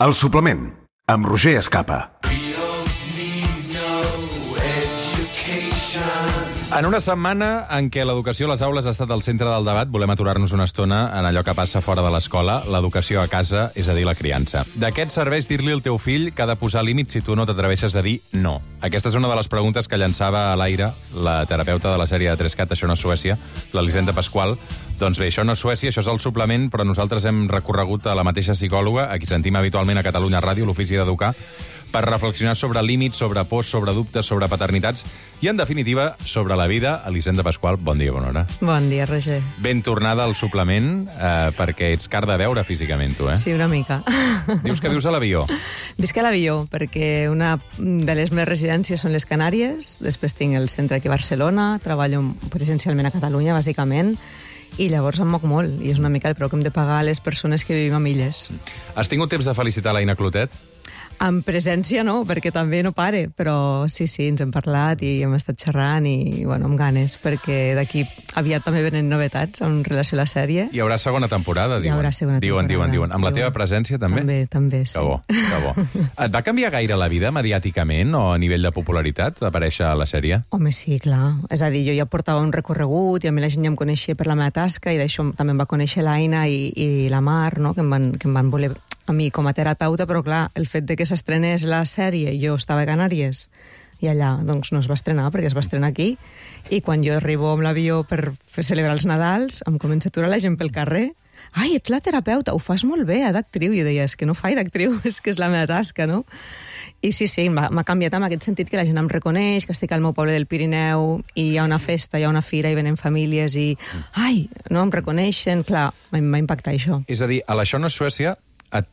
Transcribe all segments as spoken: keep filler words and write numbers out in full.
El suplement, amb Roger Escapa. En una setmana en què l'educació a les aules ha estat al centre del debat, volem aturar-nos una estona en allò que passa fora de l'escola, l'educació a casa, és a dir, la criança. De què et serveix dir-li al teu fill que ha de posar límits si tu no t'atreveixes a dir no? Aquesta és una de les preguntes que llançava a l'aire la terapeuta de la sèrie de tres cat, Això no és Suècia, l'Elisenda Pasqual. Doncs bé, això no és Suècia, això és el suplement, però nosaltres hem recorregut a la mateixa psicòloga, a qui sentim habitualment a Catalunya Ràdio, l'Ofici d'Educar, per reflexionar sobre límits, sobre pors, sobre dubtes, sobre paternitats i, en definitiva, sobre la vida. Elisenda Pasqual, bon dia, bona hora. Bon dia, Roger. Ben tornada al suplement, eh, perquè ets car de veure físicament, tu, eh? Sí, una mica. Dius que vius a l'avió. Visc a l'avió, perquè una de les meves residències són les Canàries, després tinc el centre aquí a Barcelona, treballo presencialment a Catalunya, bàsicament, i llavors em moc molt, i és una mica el preu que hem de pagar a les persones que vivim a milles. Has tingut temps de felicitar l'Aina Clotet? En presència no, perquè també no pare, però sí, sí, ens hem parlat i hem estat xerrant i, bueno, amb ganes, perquè d'aquí aviat també venen novetats en relació a la sèrie. Hi haurà segona temporada, diuen. Hi haurà segona diuen, temporada. Diuen, diuen. Amb la teva presència, també? També, també, sí. Que bo, que bo. Et va canviar gaire la vida mediàticament o a nivell de popularitat d'aparèixer a la sèrie? Home, sí, clar. És a dir, jo ja portava un recorregut i a mi la gent ja em coneixia per la meva tasca i d'això també em va conèixer l'Aina i, i la Mar, no?, que em van, que em van voler a mi com a terapeuta, però clar, el fet de que s'estrenés la sèrie i jo estava a Canàries i allà, doncs no es va estrenar perquè es va estrenar aquí, i quan jo arribo amb l'avió per fer celebrar els Nadals em comença a aturar la gent pel carrer. Ai, ets la terapeuta, ho fas molt bé, d'actriu. I jo deia, és que no faig d'actriu, és que és la meva tasca, no? I sí, sí, m'ha canviat en aquest sentit que la gent em reconeix, que estic al meu poble del Pirineu i hi ha una festa, hi ha una fira i venen famílies i, ai, no, em reconeixen. Clar, m'ha impactat això. És a dir, a l'Això no és Suècia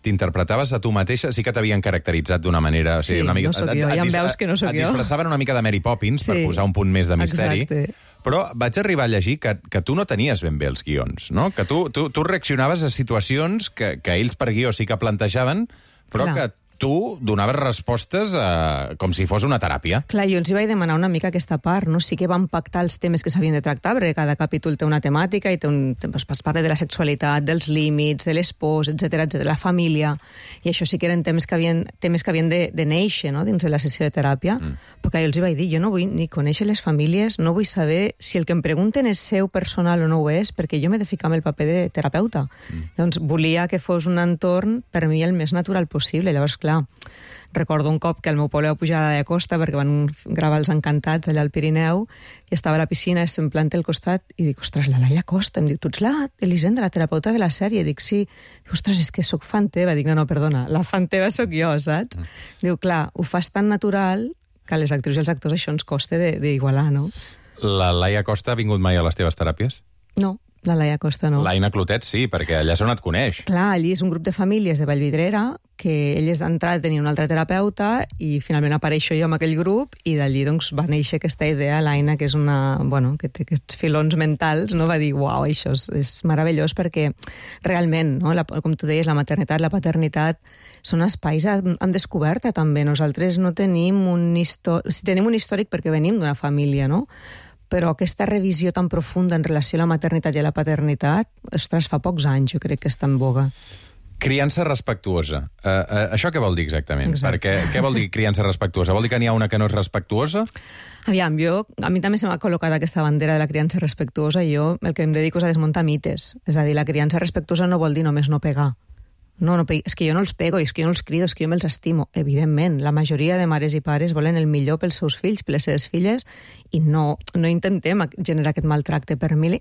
t'interpretaves a tu mateixa, sí que t'havien caracteritzat d'una manera... Sí, o sigui, una mica, no sóc jo, ja em veus que no sóc jo. Et disfressaven una mica de Mary Poppins, sí, per posar un punt més de misteri. Exacte. Però vaig arribar a llegir que, que tu no tenies ben bé els guions, no? Que tu, tu, tu reaccionaves a situacions que, que ells per guió sí que plantejaven, però Clar. que tu donaves respostes a, com si fos una teràpia. Clar, jo els hi vaig demanar una mica aquesta part, no? Sí que van pactar els temes que s'havien de tractar, perquè cada capítol té una temàtica i té un, es parla de la sexualitat, dels límits, de l'espòs, etcètera, de la família, i això sí que eren temes que havien, temes que havien de, de néixer, no?, dins de la sessió de teràpia, mm. perquè jo els hi vaig dir, jo no vull ni conèixer les famílies, no vull saber si el que em pregunten és seu personal o no ho és, perquè jo m'he de ficar en el paper de terapeuta. Mm. Doncs volia que fos un entorn, per mi, el més natural possible. Llavors, clar, recordo un cop que al meu poble va pujar a la Costa perquè van gravar Els Encantats allà al Pirineu i estava a la piscina, se'm planta al costat i dic, ostres, la Laia Costa. Em diu, tu ets la Elisenda, la terapeuta de la sèrie? Dic, sí. Dic, ostres, és que sóc fan teva. Dic, no, no, perdona, la fan teva sóc jo, saps? Mm. Diu, clar, ho fas tan natural que a les actrius i els actors això ens costa d'igualar, no? La Laia Costa ha vingut mai a les teves teràpies? No. La Laia Costa no. L'Aina Clotet sí, perquè allà és on et coneix. Clar, allí és un grup de famílies de Vallvidrera que elles d'entrada tenien un altre terapeuta i finalment apareixo jo amb aquell grup i d'allí doncs va néixer aquesta idea, l'Aina, que és una, bueno, que té aquests filons mentals, no? Va dir, uau, això és, és meravellós perquè realment, no? La, com tu deies, la maternitat, la paternitat són espais en, en descoberta també. Nosaltres no tenim un històric, si tenim un històric perquè venim d'una família, no? Però aquesta revisió tan profunda en relació a la maternitat i a la paternitat, ostres, fa pocs anys jo crec que està en boga. Criança respectuosa. Uh, uh, això què vol dir exactament? Exacte. Perquè què vol dir criança respectuosa? Vol dir que n'hi ha una que no és respectuosa? Aviam, jo, a mi també se m'ha col·locat aquesta bandera de la criança respectuosa i jo el que em dedico és a desmuntar mites. És a dir, la criança respectuosa no vol dir només no pegar. No, no, és que jo no els pego, és que jo no els crido, és que jo me'ls estimo. Evidentment, la majoria de mares i pares volen el millor pels seus fills, per les seves filles, i no, no intentem generar aquest maltracte. Per mi,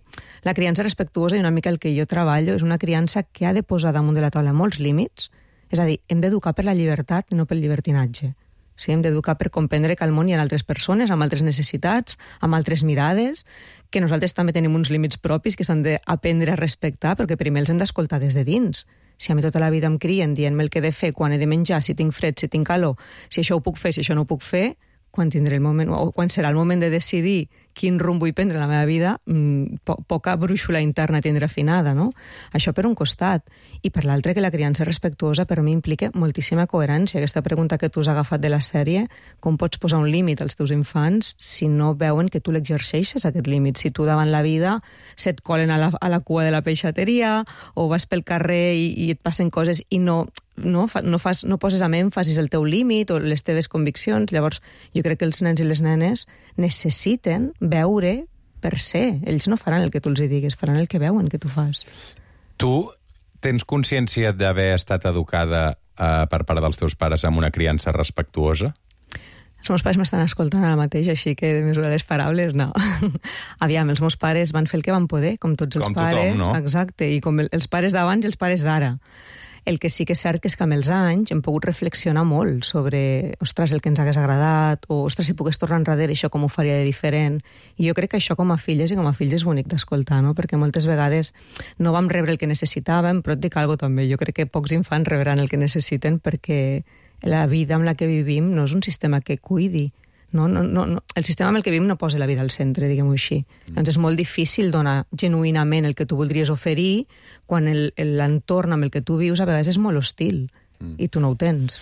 la criança respectuosa i una mica el que jo treballo és una criança que ha de posar damunt de la taula molts límits, és a dir, hem d'educar per la llibertat i no pel llibertinatge. Sí, hem d'educar per comprendre que al món hi ha altres persones, amb altres necessitats, amb altres mirades, que nosaltres també tenim uns límits propis que s'han d'aprendre a respectar, però que primer els hem d'escoltar des de dins. Si a mi tota la vida em crien dient-me el que he de fer, quan he de menjar, si tinc fred, si tinc calor, si això ho puc fer, si això no ho puc fer, quan tindré el moment, o quan serà el moment de decidir quin rumb vull prendre en la meva vida, po poca brúixola interna tindrà afinada, no? Això per un costat. I per l'altre, que la criança respectuosa per mi implica moltíssima coherència. Aquesta pregunta que tu has agafat de la sèrie, com pots posar un límit als teus infants si no veuen que tu l'exerceixes, aquest límit? Si tu davant la vida se't colen a la, a la cua de la peixateria o vas pel carrer i, i et passen coses i no no, fa, no, fas, no poses amb èmfasis el teu límit o les teves conviccions. Llavors, jo crec que els nens i les nenes necessiten veure per ser. Ells no faran el que tu els diguis, faran el que veuen que tu fas. Tu tens consciència d'haver estat educada eh, per part dels teus pares amb una criança respectuosa? Els meus pares m'estan escoltant ara mateix, així que de mesurar les paraules, no. Aviam, els meus pares van fer el que van poder, com tots els com pares. Tothom, no? Exacte, i com els pares d'abans i els pares d'ara. El que sí que és cert que és que amb els anys hem pogut reflexionar molt sobre, ostres, el que ens hagués agradat, o, ostres, si pogués tornar enrere, això com ho faria de diferent. I jo crec que això com a filles i com a fills és bonic d'escoltar, no? Perquè moltes vegades no vam rebre el que necessitàvem, però et dic alguna cosa també. Jo crec que pocs infants rebran el que necessiten perquè la vida amb la que vivim no és un sistema que cuidi. No, no, no, no. El sistema amb el que vivim no posa la vida al centre, diguem-ho així. Mm. Doncs és molt difícil donar genuïnament el que tu voldries oferir quan l'entorn amb el que tu vius a vegades és molt hostil mm. i tu no ho tens.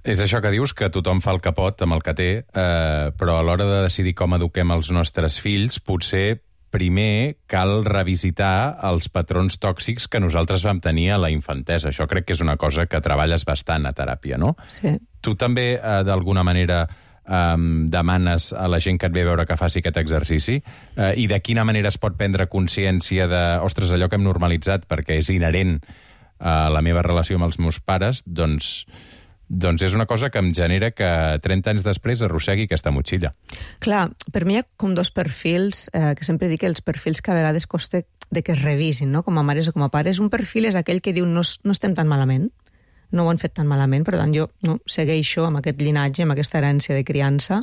És això que dius, que tothom fa el que pot amb el que té, eh, però a l'hora de decidir com eduquem els nostres fills, potser primer cal revisitar els patrons tòxics que nosaltres vam tenir a la infantesa. Això crec que és una cosa que treballes bastant a teràpia, no? Sí. Tu també, eh, d'alguna manera, eh, demanes a la gent que et ve a veure que faci aquest exercici eh, i de quina manera es pot prendre consciència de, ostres, allò que hem normalitzat perquè és inherent a la meva relació amb els meus pares, doncs... Doncs és una cosa que em genera que trenta anys després arrossegui aquesta motxilla. Clar, per mi hi ha com dos perfils, eh, que sempre dic que els perfils que a vegades costa de que es revisin, no? Com a mares o com a pares. Un perfil és aquell que diu no, no estem tan malament, no ho han fet tan malament, per tant jo no, segueixo amb aquest llinatge, amb aquesta herència de criança.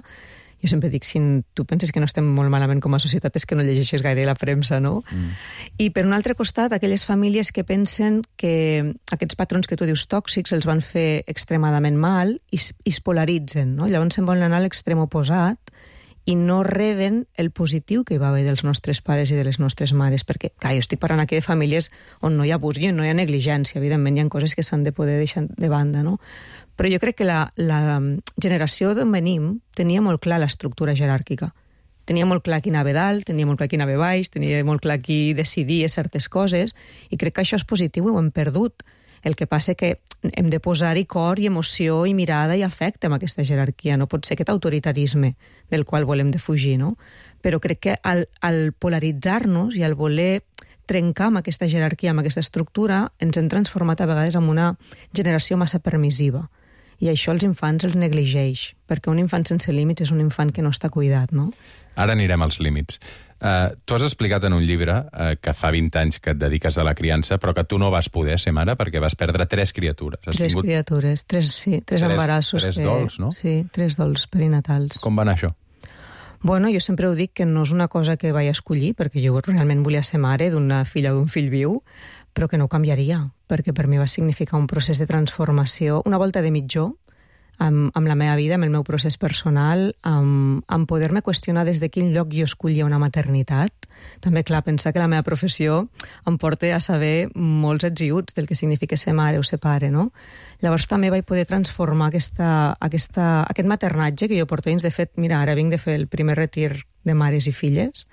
Jo sempre dic, si tu penses que no estem molt malament com a societat és que no llegeixes gaire la premsa, no? Mm. I per un altre costat, aquelles famílies que pensen que aquests patrons que tu dius tòxics els van fer extremadament mal i, i es polaritzen, no? Llavors se'n volen anar a l'extrem oposat i no reben el positiu que hi va haver dels nostres pares i de les nostres mares, perquè, clar, jo estic parlant aquí de famílies on no hi ha abús i on no hi ha negligència, evidentment hi ha coses que s'han de poder deixar de banda, no? Però jo crec que la, la generació d'on venim tenia molt clar l'estructura jeràrquica. Tenia molt clar qui anava dalt, tenia molt clar qui anava baix, tenia molt clar qui decidia certes coses, i crec que això és positiu i ho hem perdut. El que passa que hem de posar-hi cor i emoció i mirada i afecte amb aquesta jerarquia. No pot ser aquest autoritarisme del qual volem defugir, no? Però crec que al, al polaritzar-nos i al voler trencar amb aquesta jerarquia, amb aquesta estructura, ens hem transformat a vegades en una generació massa permissiva. I això els infants els negligeix, perquè un infant sense límits és un infant que no està cuidat, no? Ara anirem als límits. Uh, tu has explicat en un llibre uh, que fa vint anys que et dediques a la criança, però que tu no vas poder ser mare perquè vas perdre tres criatures. Has tres tingut... criatures, tres, sí, tres, tres embarassos. Tres que... dols, no? Sí, tres dols perinatals. Com va anar això? Bueno, jo sempre ho dic que no és una cosa que vaig escollir, perquè jo realment volia ser mare d'una filla o d'un fill viu, però que no ho canviaria, perquè per mi va significar un procés de transformació, una volta de mitjó, amb, amb la meva vida, amb el meu procés personal, amb, amb poder-me qüestionar des de quin lloc jo escollia una maternitat. També, clar, pensar que la meva professió em porta a saber molts ets i uts del que significa ser mare o ser pare, no? Llavors també vaig poder transformar aquesta, aquesta, aquest maternatge que jo porto anys. De fet, mira, ara vinc de fer el primer retir de mares i filles,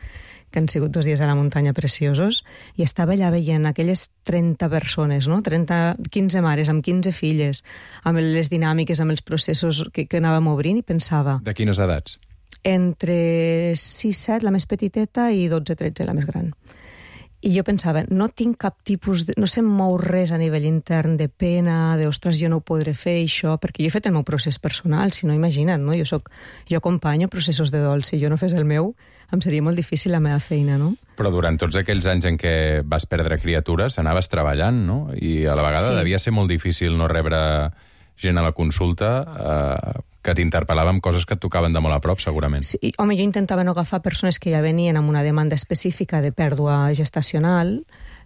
que han sigut dos dies a la muntanya preciosos, i estava allà veient aquelles trenta persones, no? trenta, quinze mares amb quinze filles, amb les dinàmiques, amb els processos que, que anàvem obrint, i pensava... De quines edats? Entre sis set, la més petiteta, i dotze tretze, la més gran. I jo pensava, no tinc cap tipus de... no se'm mou res a nivell intern de pena, de, ostres, jo no ho podré fer, això, perquè jo he fet el meu procés personal, si no, imagina't, no? Jo soc, jo acompanyo processos de dol, si jo no fes el meu, em seria molt difícil la meva feina, no? Però durant tots aquells anys en què vas perdre criatures, anaves treballant, no? I a la vegada sí. Devia ser molt difícil no rebre gent a la consulta eh, que t'interpel·lava amb coses que et tocaven de molt a prop, segurament. Sí, home, jo intentava no agafar persones que ja venien amb una demanda específica de pèrdua gestacional,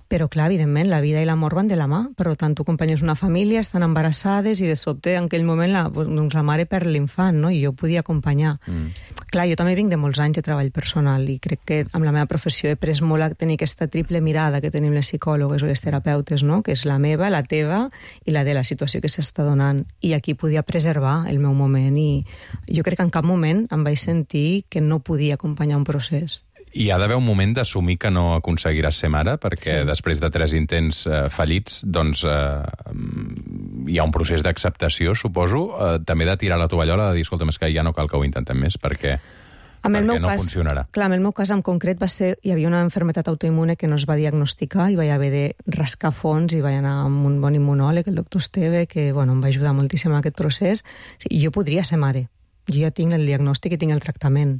però, clar, evidentment, la vida i la mort van de la mà. Per tant, tu acompanyes una família, estan embarassades i de sobte, en aquell moment, la, doncs, la mare perd l'infant, no? I jo podia acompanyar. Mm. Clar, jo també vinc de molts anys de treball personal i crec que amb la meva professió he pres molt a tenir aquesta triple mirada que tenim les psicòlogues o les terapeutes, no? Que és la meva, la teva i la de la situació que s'està donant. I aquí podia preservar el meu moment i jo crec que en cap moment em vaig sentir que no podia acompanyar un procés. Hi ha d'haver un moment d'assumir que no aconseguiràs ser mare, perquè sí. després de tres intents eh, fallits, doncs eh, hi ha un procés d'acceptació, suposo, eh, també de tirar la tovallola, de dir, escolta, és que ja no cal que ho intentem més, perquè... Amb el perquè meu no cas, funcionarà. Clar, en el meu cas en concret va ser, hi havia una malaltia autoimmune que no es va diagnosticar i vaig haver de rascar fons i vaig anar amb un bon immunòleg, el doctor Esteve, que bueno, em va ajudar moltíssim en aquest procés. Sí, jo podria ser mare. Jo ja tinc el diagnòstic i tinc el tractament.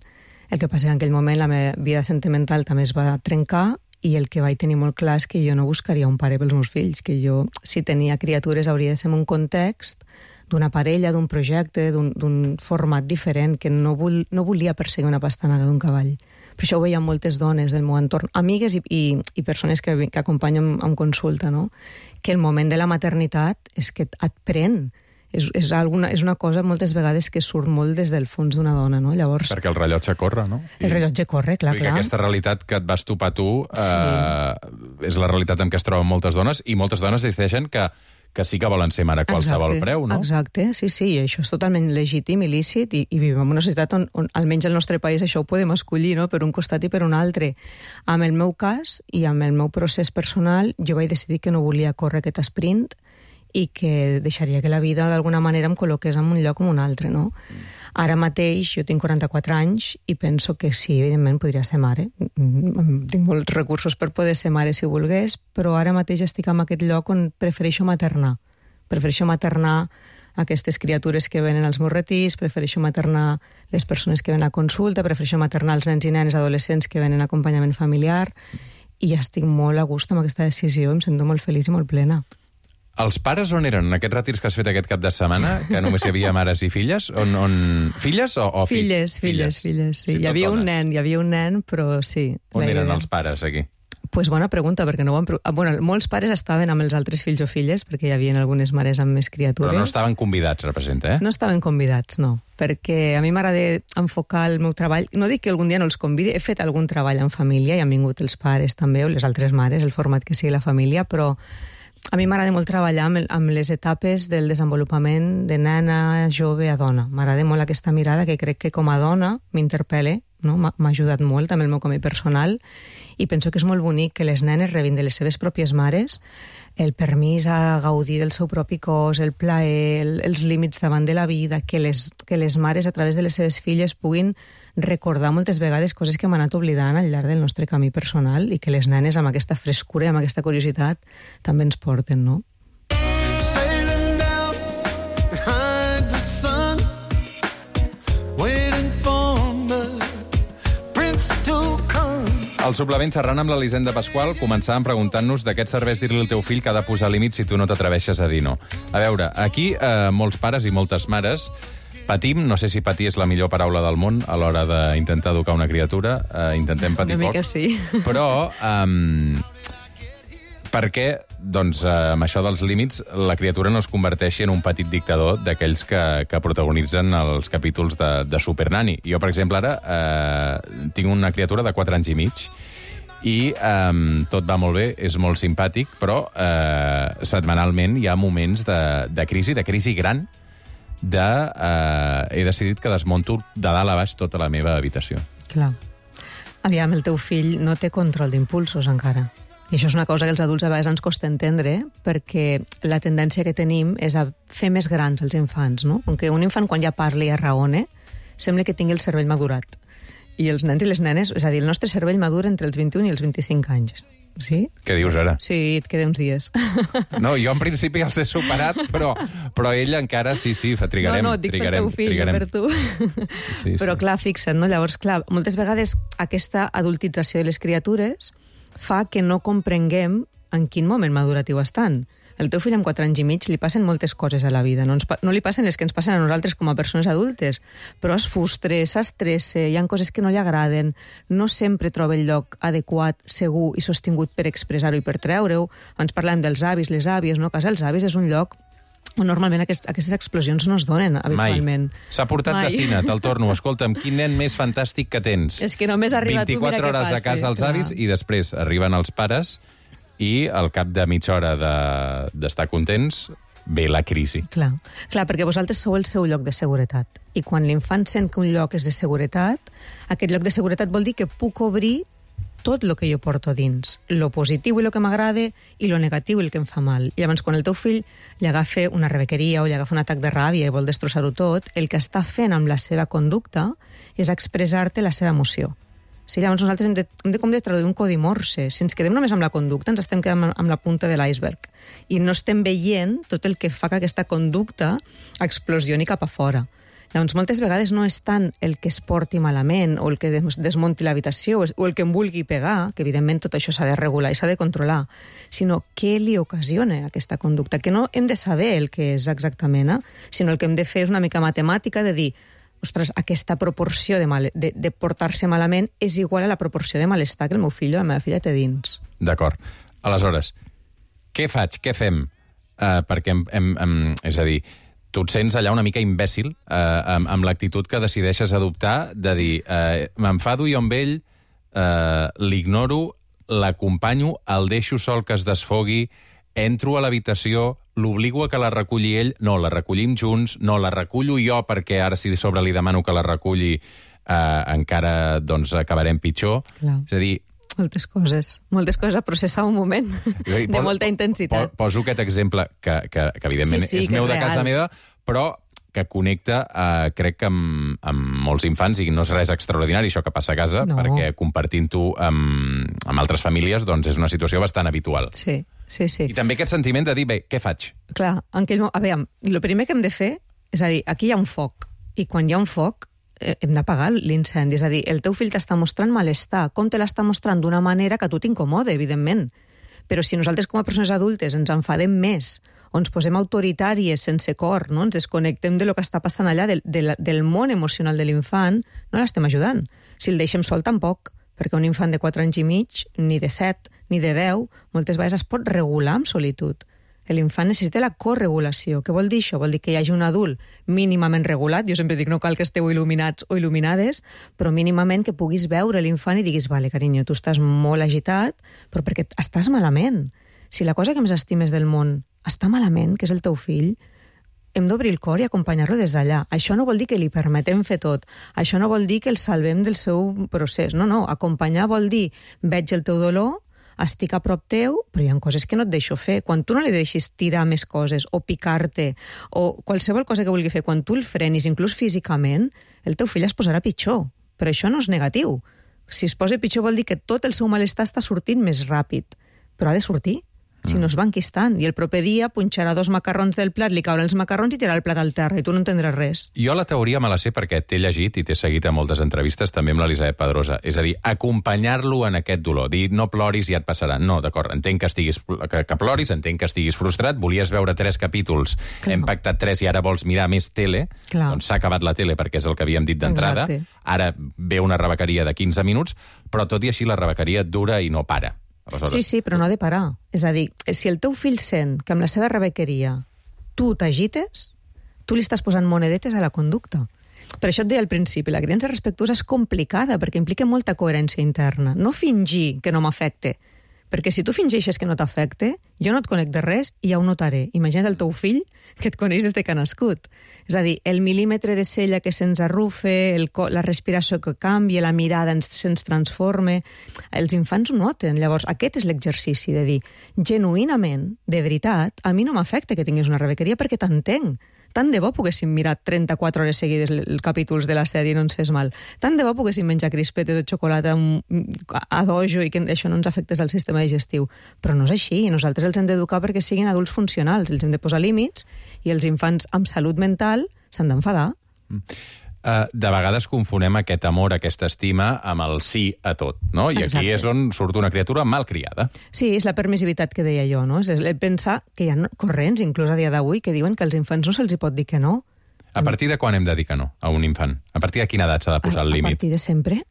El que passa és que en aquell moment la meva vida sentimental també es va trencar i el que vaig tenir molt clar és que jo no buscaria un pare pels meus fills, que jo, si tenia criatures, hauria de ser en un context d'una parella, d'un projecte, d'un format diferent, que no, vol, no volia perseguir una pastanaga d'un cavall. Per això ho veia moltes dones del meu entorn, amigues i, i, i persones que, que acompanyen en consulta, no? Que el moment de la maternitat és que et pren. És, és, alguna, és una cosa moltes vegades que surt molt des del fons d'una dona, no? Llavors... Perquè el rellotge corre, no? I... El rellotge corre, clar, clar. Aquesta realitat que et vas topar tu eh, sí. és la realitat en què es troben moltes dones, i moltes dones decideixen que que sí que volen ser mare a qualsevol exacte, preu, no? Exacte, sí, sí, i això és totalment legítim i lícit, i, i vivim en una societat on, on, almenys al nostre país, això ho podem escollir, no?, per un costat i per un altre. Amb el meu cas i amb el meu procés personal, jo vaig decidir que no volia córrer aquest sprint i que deixaria que la vida d'alguna manera em col·loqués en un lloc o en un altre, no? Mm. Ara mateix jo tinc quaranta-quatre anys i penso que sí, evidentment podria ser mare. Tinc molts recursos per poder ser mare si volgués, però ara mateix estic en aquest lloc on prefereixo maternar. Prefereixo maternar aquestes criatures que venen als meus retirs, prefereixo maternar les persones que venen a consulta, prefereixo maternar els nens i nenes adolescents que venen a acompanyament familiar, i estic molt a gust amb aquesta decisió, em sento molt feliç i molt plena. Els pares on eren en aquests retirs que has fet aquest cap de setmana, que només hi havia mares i filles? On, on... Filles o, o filles? Filles, filles, filles, sí. sí hi havia dones. un nen, hi havia un nen, però sí. On eren els pares, aquí? Pues bona pregunta, perquè no ho han... Bueno, molts pares estaven amb els altres fills o filles, perquè hi havia algunes mares amb més criatures. Però no estaven convidats, representa, eh? No estaven convidats, no. Perquè a mi m'agrada enfocar el meu treball. No dic que algun dia no els convidi, he fet algun treball en família i han vingut els pares també, o les altres mares, el format que sigui la família, però a mi m'agrada molt treballar amb, amb les etapes del desenvolupament de nena, jove a dona. M'agrada molt aquesta mirada que crec que com a dona m'interpel·la, no? M'ha ajudat molt també el meu camí personal, i penso que és molt bonic que les nenes rebin de les seves pròpies mares el permís a gaudir del seu propi cos, el plaer, el, els límits davant de la vida, que les, que les mares a través de les seves filles puguin recordar moltes vegades coses que hem anat oblidant al llarg del nostre camí personal, i que les nenes amb aquesta frescura i amb aquesta curiositat també ens porten, no? Al suplement xerrant amb l'Elisenda Pasqual començàvem preguntant-nos d'aquests serveis dir-li al teu fill que ha de posar límits si tu no t'atreveixes a dir no. A veure, aquí eh, molts pares i moltes mares patim, no sé si patir és la millor paraula del món a l'hora d'intentar educar una criatura, eh, intentem patir una poc. mica sí. Però eh, perquè, doncs, eh, amb això dels límits, la criatura no es converteixi en un petit dictador d'aquells que, que protagonitzen els capítols de, de Supernanny. Jo, per exemple, ara eh, tinc una criatura de quatre anys i mig i eh, tot va molt bé, és molt simpàtic, però eh, setmanalment hi ha moments de, de crisi, de crisi gran, de eh, he decidit que desmonto de dalt a baix tota la meva habitació. Clar. Aviam, el teu fill no té control d'impulsos encara. I això és una cosa que els adults a vegades ens costa entendre, perquè la tendència que tenim és a fer més grans els infants, no? Com que un infant, quan ja parla i ja raone, sembla que tingui el cervell madurat. I els nens i les nenes, és a dir, el nostre cervell madura entre els vint-i-un i els vint-i-cinc anys. Sí? Què dius ara? Sí, et queda uns dies. No, jo en principi els he superat, però, però ell encara, sí, sí, trigarem. No, no, dic trigarem, per teu fill, trigarem. per tu. Sí, però sí. clar, fixa't, no? Llavors, clar, moltes vegades aquesta adultització de les criatures fa que no comprenguem en quin moment maduratiu estan. El teu fill amb quatre anys i mig li passen moltes coses a la vida. No, ens, no li passen les que ens passen a nosaltres com a persones adultes, però es frustra, s'estressa, hi ha coses que no li agraden, no sempre troba el lloc adequat, segur i sostingut per expressar-ho i per treure-ho. Ens parlem dels avis, les àvies, no? A casa dels avis és un lloc on normalment aquest, aquestes explosions no es donen habitualment. Mai. S'ha portat Mai. de cine, te'l torno. Escolta'm, quin nen més fantàstic que tens. És que només arriba tu, mira què passa. vint-i-quatre hores a casa els avis i després arriben els pares i al cap de mitja hora d'estar de, contents ve la crisi. Clar, clar, perquè vosaltres sou el seu lloc de seguretat. I quan l'infant sent que un lloc és de seguretat, aquest lloc de seguretat vol dir que puc obrir tot el que jo porto dins, lo positiu i el que m'agrada i lo negatiu i el que em fa mal. I llavors, quan el teu fill li agafa una rebequeria o li agafa un atac de ràbia i vol destrossar-ho tot, el que està fent amb la seva conducta és expressar-te la seva emoció. Sí, llavors nosaltres hem de, hem de, com de traduir un codi morse. Si ens quedem només amb la conducta, ens estem quedant amb la punta de l'iceberg. I no estem veient tot el que fa que aquesta conducta explosioni cap a fora. Llavors, moltes vegades no és tant el que es porti malament o el que desmunti l'habitació o el que em vulgui pegar, que evidentment tot això s'ha de regular i s'ha de controlar, sinó què li ocasiona aquesta conducta, que no hem de saber el que és exactament, eh? Sinó el que hem de fer és una mica matemàtica de dir, ostres, aquesta proporció de, mal, de, de portar-se malament és igual a la proporció de malestar que el meu fill o la meva filla té dins. D'acord. Aleshores, què faig? Què fem? Uh, perquè, em, em, em, és a dir, tu et sents allà una mica imbècil eh, amb, amb l'actitud que decideixes adoptar de dir, eh, m'enfado jo amb ell, eh, l'ignoro, l'acompanyo, el deixo sol que es desfogui, entro a l'habitació, l'obligo a que la reculli ell, no, la recollim junts, no, la recullo jo perquè ara si sobre li demano que la reculli eh, encara doncs, acabarem pitjor. Clar. És a dir, moltes coses, moltes coses a processar un moment de pos, molta intensitat. Poso aquest exemple que, que, que evidentment sí, sí, és que meu és de casa real. meva, però que connecta, eh, crec que amb, amb molts infants, i no és res extraordinari això que passa a casa, No. perquè compartint-ho amb, amb altres famílies doncs és una situació bastant habitual. Sí, sí, sí. I també aquest sentiment de dir, bé, què faig? Clar, en aquell moment, a veure, el primer que hem de fer, és a dir, aquí hi ha un foc, i quan hi ha un foc, eh, hem d'apagar l'incendi. És a dir, el teu fill t'està mostrant malestar. Com te l'està mostrant? D'una manera que a tu t'incomode, evidentment. Però si nosaltres com a persones adultes ens enfadem més, o ens posem autoritàries sense cor, no? Ens desconnectem de lo que està passant allà, del, del, del món emocional de l'infant, no l'estem ajudant. Si el deixem sol, tampoc, perquè un infant de quatre anys i mig, ni de set, ni de deu, moltes vegades es pot regular amb solitud. L'infant necessita la corregulació. Què vol dir això? Vol dir que hi hagi un adult mínimament regulat. Jo sempre dic, no cal que esteu il·luminats o il·luminades, però mínimament que puguis veure l'infant i diguis, vale, carinyo, tu estàs molt agitat, però perquè estàs malament. Si la cosa que més estimes del món està malament, que és el teu fill, hem d'obrir el cor i acompanyar-lo des d'allà. Això no vol dir que li permetem fer tot. Això no vol dir que el salvem del seu procés. No, no. Acompanyar vol dir, veig el teu dolor, estic a prop teu, però hi ha coses que no et deixo fer. Quan tu no li deixis tirar més coses o picar-te o qualsevol cosa que vulgui fer, quan tu el frenis, inclús físicament, el teu fill es posarà pitjor. Però això no és negatiu. Si es posa pitjor vol dir que tot el seu malestar està sortint més ràpid. Però ha de sortir. Si no es va enquistant. I el proper dia punxarà dos macarrons del plat, li cauran els macarrons i tirarà el plat al terra, i tu no entendràs res. Jo la teoria me la sé perquè t'he llegit i t'he seguit a moltes entrevistes, també amb l'Elisabet Pedrosa. És a dir, acompanyar-lo en aquest dolor. Dir, no ploris i ja et passarà. No, d'acord, entenc que, estiguis, que, que ploris, entenc que estiguis frustrat, volies veure tres capítols, Clar. Hem pactat tres i ara vols mirar més tele, Clar. Doncs s'ha acabat la tele perquè és el que havíem dit d'entrada. Ara ve una rebequeria de quinze minuts, però tot i així la rebequeria dura i no para. Aleshores... Sí, sí, però no ha de parar. És a dir, si el teu fill sent que amb la seva rebequeria tu t'agites, tu li estàs posant monedetes a la conducta. Per això et deia al principi, la criança respectuosa és complicada perquè implica molta coherència interna. No fingir que no m'afecte, perquè si tu fingeixes que no t'afecte, jo no et conec de res i ja ho notaré. Imagina't el teu fill que et coneix des de que ha nascut. És a dir, el mil·límetre de cella que se'ns arrufe, el la respiració que canvia, la mirada ens, se'ns transforma... Els infants ho noten. Llavors, aquest és l'exercici de dir, genuïnament, de veritat, a mi no m'afecta que tinguis una rebequeria perquè t'entenc. Tant de bo poguéssim mirar trenta-quatre hores seguides els capítols de la sèrie i no ens fes mal. Tant de bo poguéssim menjar crispetes de xocolata a dojo i que això no ens afectés al sistema digestiu. Però no és així. Nosaltres els hem d'educar perquè siguin adults funcionals. Els hem de posar límits i els infants amb salut mental s'han d'enfadar. Mm. Uh, de vegades confonem aquest amor, aquesta estima, amb el sí a tot, no? I Exacte. Aquí és on surt una criatura malcriada. Sí, és la permissivitat que deia jo, no? És el pensar que hi ha corrents, inclús a dia d'avui, que diuen que als infants no se'ls hi pot dir que no. A partir de quan hem de dir que no a un infant? A partir de quina edat s'ha de posar a, el límit? A partir de sempre.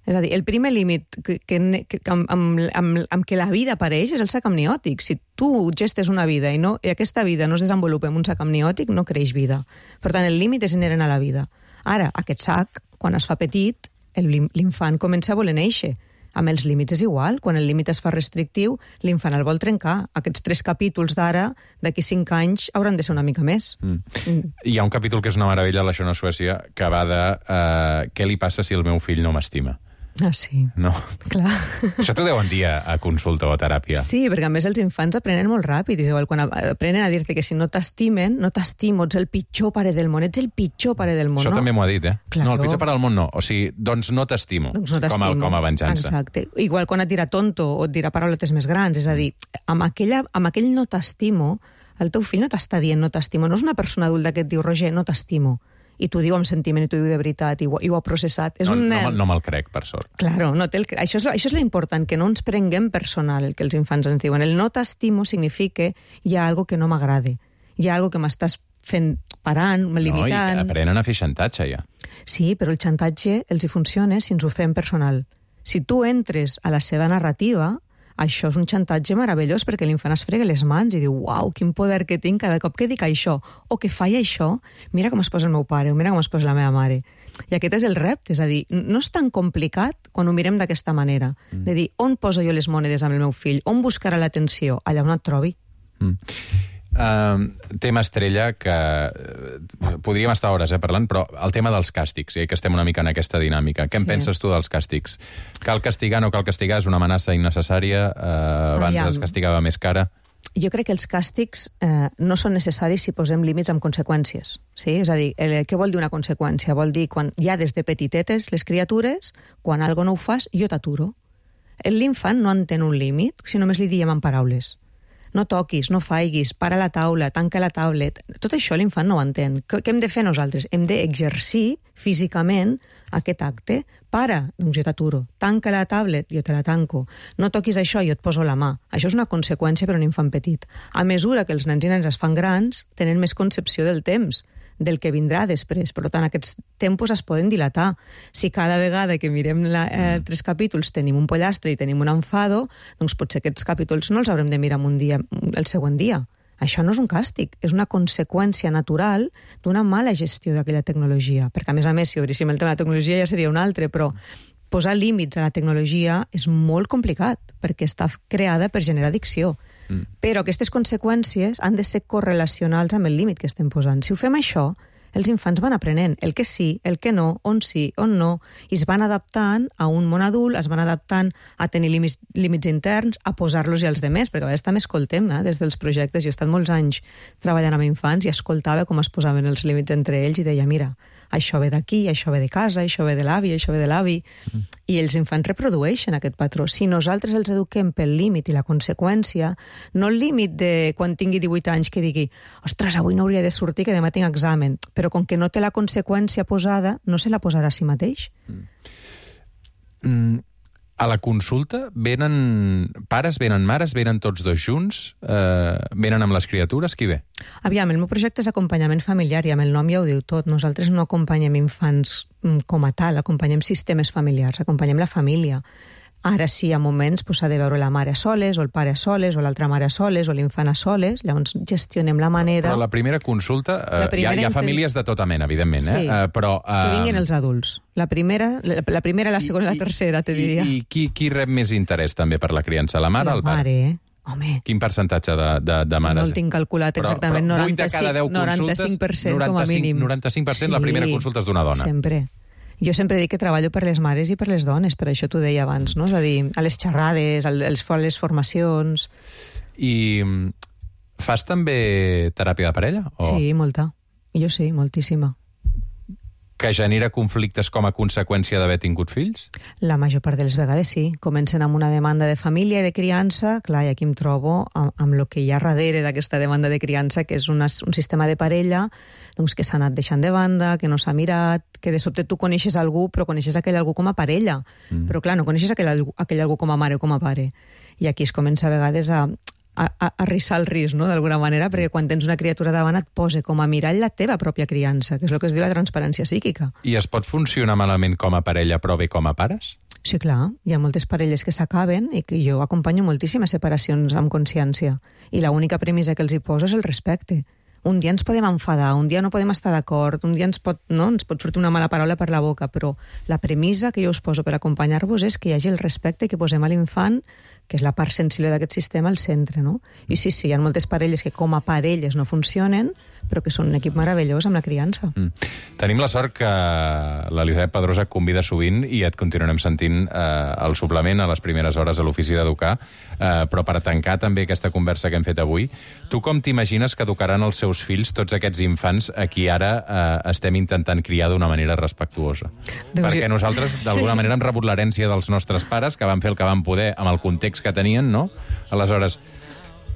És a dir, el primer límit que, que, que, amb, amb, amb, amb què la vida apareix és el sac amniòtic. Si tu gestes una vida i, no, i aquesta vida no es desenvolupa en un sac amniòtic, no creix vida. Per tant, el límit és inherent a la vida. Ara, aquest sac, quan es fa petit, l'infant comença a voler néixer. Amb els límits és igual. Quan el límit es fa restrictiu, l'infant el vol trencar. Aquests tres capítols d'ara, d'aquí cinc anys, hauran de ser una mica més. Mm. Mm. Hi ha un capítol que és una meravella, l'Això no és Suècia, que va de uh, què li passa si el meu fill no m'estima. Ah, sí. No? Clar. Això t'ho deuen dir a, a consulta o a teràpia. Sí, perquè a més els infants aprenen molt ràpid. És igual, quan aprenen a dir-te que si no t'estimen, no t'estimo, ets el pitjor pare del món, ets el pitjor pare del món. Això no? també m'ho ha dit, eh? Claro. No, el pitjor pare del món no. O sigui, doncs no t'estimo. Doncs no t'estimo. Com, a, com a venjança. Exacte. Igual quan et dirà tonto o et dirà parauletes més grans. És a dir, amb, aquella, amb aquell no t'estimo, el teu fill no t'està dient no t'estimo. No és una persona adulta que et diu, Roger, no t'estimo. I t'ho diu amb sentiment, i t'ho diu de veritat, i ho, i ho ha processat. És no, un no, nen... no me'l crec, per sort. Claro, no té el... això és, això és l'important, que no ens prenguem personal el que els infants ens diuen. El no t'estimo significa hi ha algo que no m'agrada, hi ha algo que m'estàs fent parant, limitant... No, i aprenen a fer xantatge, ja. Sí, però el xantatge els hi funciona si ens ho fem personal. Si tu entres a la seva narrativa, això és un xantatge meravellós, perquè l'infant es frega les mans i diu, uau, quin poder que tinc cada cop que dic això, o que faig això, mira com es posa el meu pare, o mira com es posa la meva mare. I aquest és el repte, és a dir, no és tan complicat quan ho mirem d'aquesta manera, mm. de dir, on poso jo les monedes amb el meu fill, on buscarà l'atenció, allà on et trobi. Mm. Uh, tema estrella que uh, podríem estar hores eh, parlant, però el tema dels càstigs, eh, que estem una mica en aquesta dinàmica. Què en sí. penses tu dels càstigs? Cal castigar, no cal castigar? És una amenaça innecessària? Uh, abans Aviam. es castigava més cara? Jo crec que els càstigs eh, no són necessaris si posem límits amb conseqüències. Sí? És a dir, el, què vol dir una conseqüència? Vol dir, quan ja des de petitetes les criatures, quan algo no ho fas, jo t'aturo. L'infant no entén un límit si només li diem en paraules. No toquis, no faiguis, para la taula, tanca la tablet. Tot això l'infant no ho entén. Què hem de fer nosaltres? Hem d'exercir físicament aquest acte. Para, doncs jo t'aturo. Tanca la tablet, jo te la tanco. No toquis això, jo et poso la mà. Això és una conseqüència per a un infant petit. A mesura que els nens i nenes es fan grans, tenen més concepció del temps, del que vindrà després. Per tant, aquests tempos es poden dilatar. Si cada vegada que mirem la, eh, tres capítols tenim un pollastre i tenim un enfado, doncs potser aquests capítols no els haurem de mirar un dia, el següent dia. Això no és un càstig, és una conseqüència natural d'una mala gestió d'aquella tecnologia. Perquè, a més a més, si obríssim el tema de la tecnologia ja seria un altre, però posar límits a la tecnologia és molt complicat, perquè està creada per generar addicció. Mm. Però aquestes conseqüències han de ser correlacionals amb el límit que estem posant. Si ho fem això, els infants van aprenent el que sí, el que no, on sí, on no, i es van adaptant a un món adult, es van adaptant a tenir límits, límits interns, a posar-los i als demés, perquè a vegades també escoltem eh, des dels projectes. Jo he estat molts anys treballant amb infants i escoltava com es posaven els límits entre ells i deia, mira, això ve d'aquí, això ve de casa, això ve de l'avi, això ve de l'avi. Mm. I els infants reprodueixen aquest patró. Si nosaltres els eduquem pel límit i la conseqüència, no el límit de quan tingui divuit anys que digui, ostres, avui no hauria de sortir que demà tinc examen, però com que no té la conseqüència posada, no se la posarà a si mateix. Mm. Mm. A la consulta venen pares, venen mares, venen tots dos junts, eh, venen amb les criatures, qui ve? Aviam, el meu projecte és acompanyament familiar i amb el nom ja ho diu tot. Nosaltres no acompanyem infants com a tal, acompanyem sistemes familiars, acompanyem la família. Ara sí, a moments s'ha de veure la mare a soles, o el pare a soles, o l'altra mare a soles, o l'infant a soles, llavors gestionem la manera... Però la primera consulta, eh, la primera hi, ha, hi ha famílies de tota mena, evidentment, eh? Sí, uh, però... Uh... que vinguin els adults. La primera, la, la primera, la segona i la tercera, te diria. I, i qui, qui rep més interès també per la criança, la mare o el pare? La mare, home. Quin percentatge de, de, de mares? No el tinc calculat exactament, però, però noranta-cinc, noranta-cinc per cent com a mínim. noranta-cinc per cent sí, la primera consulta és d'una dona. Sempre. Jo sempre dic que treballo per les mares i per les dones, per això t'ho deia abans, no? És a dir, a les xerrades, a les, a les formacions... I fas també teràpia de parella? O... Sí, molta. Jo sí, moltíssima. Que genera conflictes com a conseqüència d'haver tingut fills? La major part de les vegades sí. Comencen amb una demanda de família i de criança, clar, i aquí em trobo amb, amb el que hi ha darrere d'aquesta demanda de criança, que és una, un sistema de parella doncs, que s'ha anat deixant de banda, que no s'ha mirat, que de sobte tu coneixes algú, però coneixes aquell algú com a parella. Mm. Però clar, no coneixes aquell, aquell algú com a mare o com a pare. I aquí es comença a vegades a... a, a rissar el risc, no?, d'alguna manera, perquè quan tens una criatura davant et posa com a mirall la teva pròpia criança, que és el que es diu la transparència psíquica. I es pot funcionar malament com a parella, però bé com a pares? Sí, clar. Hi ha moltes parelles que s'acaben i que jo acompanyo moltíssimes separacions amb consciència. I l'única premissa que els hi poso és el respecte. Un dia ens podem enfadar, un dia no podem estar d'acord, un dia ens pot, no? ens pot sortir una mala paraula per la boca, però la premissa que jo us poso per acompanyar-vos és que hi hagi el respecte i que posem a l'infant, que és la part sensible d'aquest sistema, al centre, no? I sí, sí, hi ha moltes parelles que com a parelles no funcionen, però que són un equip meravellós amb la criança. Mm. Tenim la sort que l'Elisabet Pedrosa et convida sovint i et continuarem sentint eh, el suplement a les primeres hores a l'Ofici d'Educar, eh, però per tancar també aquesta conversa que hem fet avui, tu com t'imagines que educaran els seus fills tots aquests infants a qui ara eh, estem intentant criar d'una manera respectuosa? Doncs Perquè jo... nosaltres, d'alguna sí. manera, hem rebut l'herència dels nostres pares, que van fer el que van poder amb el context que tenien, no? Aleshores,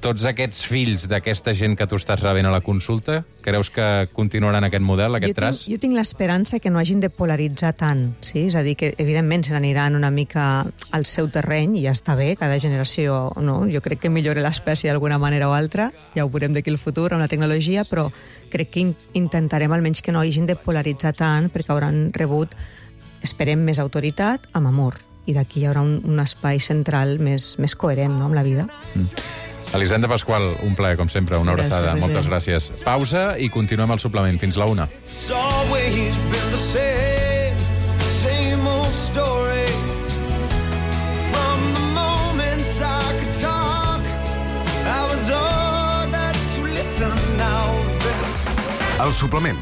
tots aquests fills d'aquesta gent que tu estàs rebent a la consulta, creus que continuaran aquest model, aquest jo traç? Tinc, jo tinc l'esperança que no hagin de polaritzar tant, sí? És a dir, que evidentment se n'aniran una mica al seu terreny, i ja està bé, cada generació, no? Jo crec que millora l'espècie d'alguna manera o altra, ja ho veurem d'aquí al futur amb la tecnologia, però crec que in intentarem almenys que no hagin de polaritzar tant, perquè hauran rebut, esperem, més autoritat amb amor, i d'aquí hi haurà un, un espai central més, més coherent, no?, amb la vida. Mm. Elisenda Pasqual, un plaer, com sempre, una gràcies, abraçada. Roger. Moltes gràcies. Pausa i continuem el suplement. Fins la una. El suplement,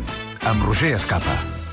amb Roger Escapa.